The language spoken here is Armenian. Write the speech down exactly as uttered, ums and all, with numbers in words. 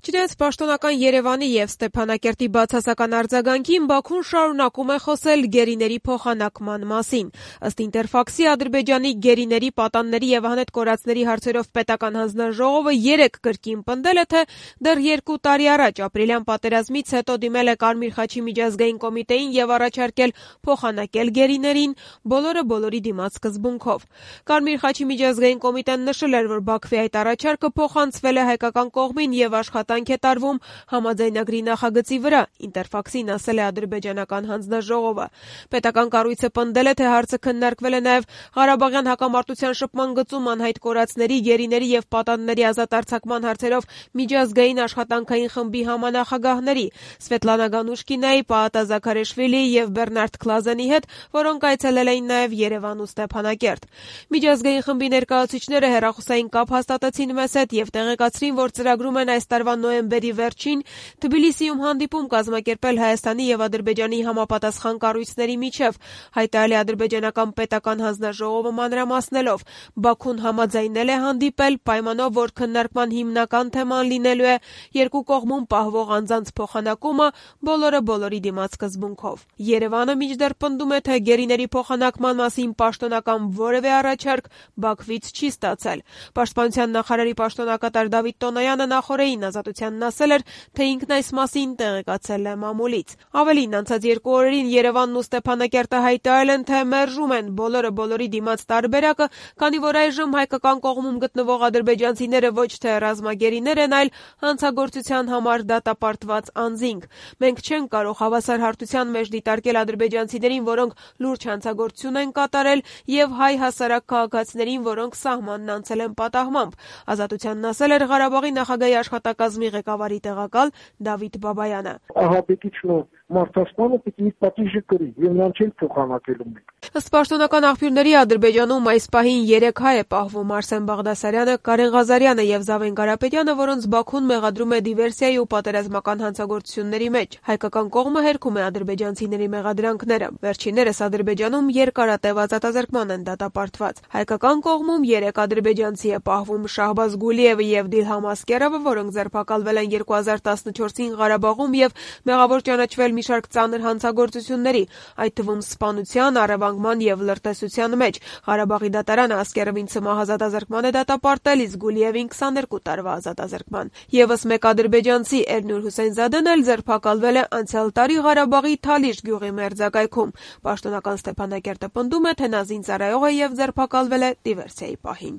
Չնայած պաշտոնական Երևանի և Ստեփանակերտի բացասական արձագանքին, Բաքուն շարունակում է խոսել գերիների փոխանակման մասին։ Ըստ Ինտերֆաքսի, Ադրբեջանի գերիների, պատանների և անհետ կորածների հարցերով պետական հանձնաժողովը երեկ կրկին պնդել է, թե դեռ երկու տարի առաջ ապրիլյան պատերազմից հետո դիմել է Կարմիր խաչի միջազգային կոմիտեին և առաջարկել փոխանակել գերիներին, բոլորը բոլորի դիմաց սկզբունքով։ Կարմիր խաչի միջազգային կոմիտեն նշել էր, որ Բաքվի այդ առաջարկը փոխանցվել է հայկական կողմին և աշխատանք է տարվում համաձայնագրի նախագծի վրա, Ինտերֆաքսին ասել է ադրբեջանական հանձնաժողովը։ Պետական կառույցը պնդել է, թե հարցը քննարկվել է նաև Ղարաբաղյան հակամարտության շփման գծում անհայտ կորածների, գերիների և պատանդների ազատ արձակման հարցերով միջազգային աշխատանքային խմբի համանախագահների Սվետլանա Գանուշկինայի, Պաատա Զաքարեշվիլիի և Բեռնարդ Քլազանի հետ, որոնք այցելել էին նաև Երևան ու Ստեփանակերտ։ Միջազգային խմբի ներկայացուցիչները հեռախոսային կապ հաստատեցին մեզ հետ և տեղեկացրին, որ ծրագրում են այս տարվա նոյեմբերի վերջին Թբիլիսիում հանդիպում կազմակերպել Հայաստանի և Ադրբեջանի համապատասխան կառույցների միջև, հայտարարել է ադրբեջանական պետական հանձնաժողովը մանրամասնելով։ Բաքուն համաձայնել է հանդիպել, պայմանով, որ քննարկման հիմնական թեման լինելու է երկու կողմում պահվող անձանց փոխանակումը բոլորը բոլորի դիմաց սկզբունքով։ Երևանը մինչդեռ պնդում է, թե գերիների փոխանակման մասին պաշտոնական որևէ առաջարկ Բաքվից չի ստացել։ Պաշտպանության նախարարի պաշտոնակատար Դավիթ Տոնոյանը նախօրեին Ազատությանն ասել էր, թե ինքն այս մասին տեղեկացել է մամուլից։ Ավելին, անցած երկու օրերին Երևանն ու Ստեփանակերտը հայտարարել են, թե մերժում են բոլորը բոլորի դիմաց տարբերակը, քանի որ այժմ հայկական կողմում գտնվող ադրբեջանցիները ոչ թե ռազմագերիներ են, այլ հանցագործության համար դատապարտված անձինք։ Մենք չենք կարող հավասար հարթության մեջ դիտարկել ադրբեջանցիներին, որոնք լուրջ հանցագործություն են կատարել, եւ հայ հասարակ քաղաքացիներին, որոնք սահմանն անցել են պատահմամբ, Ազատությանն ասել էր Ղարաբաղի նախագահի աշխատակազմի ղեկավարի տեղակալ Դավիթ Բաբայանը։ Ահաբեկիչն մարդասպանը պիտի իր պատիժը կրի, եւ նրան չեն փոխանակելու մենք։ Ըստ պաշտոնական աղբյուրների, Ադրբեջանում այս պահին երեք հայ է պահվում՝ Արսեն Բաղդասարյանը, Կարեն Ղազարյանը եւ Զավեն Կարապետյանը, որոնց Բաքուն մեղադրում է դիվերսիայի ու պատերազմական հանցագործությունների մեջ։ Հայկական կողմը հերքում է ադրբեջանցիների մեղադրանքները։ Վերջիններս Ադրբեջանում երկարատև ազատազրկման են դատապարտված։ Հայկական կողմում երեք ադրբեջանցի է պահվում՝ Շահբազ Գուլիևը եւ Դիլհամ Ասկերովը, որոնք ձերբակալվել են երկու հազար տասնչորսին Ղարաբաղում եւ մեղավոր ճանաչվել մի շարք ծանր հանցագործությունների, այդ թվում սպանության, առևանգման եւ լրտեսության մեջ։ Ղարաբաղի դատարանը Ասկերովին ցմահ ազատազրկման է դատապարտել, իսկ Գուլիևին քսաներկու տարվա ազատազրկման։ Եվս մեկ ադրբեջանցի Էրնուր Հուսեյնզադեն էլ ձերբակալվել է անցյալ տարի Ղարաբաղի Թալիշ գյուղի մերձակայքում։ Պաշտոնական Ստեփանակերտը պնդում է, թե նա զինծառայող է եւ ձերբակալվել է դիվերսիայի պահին։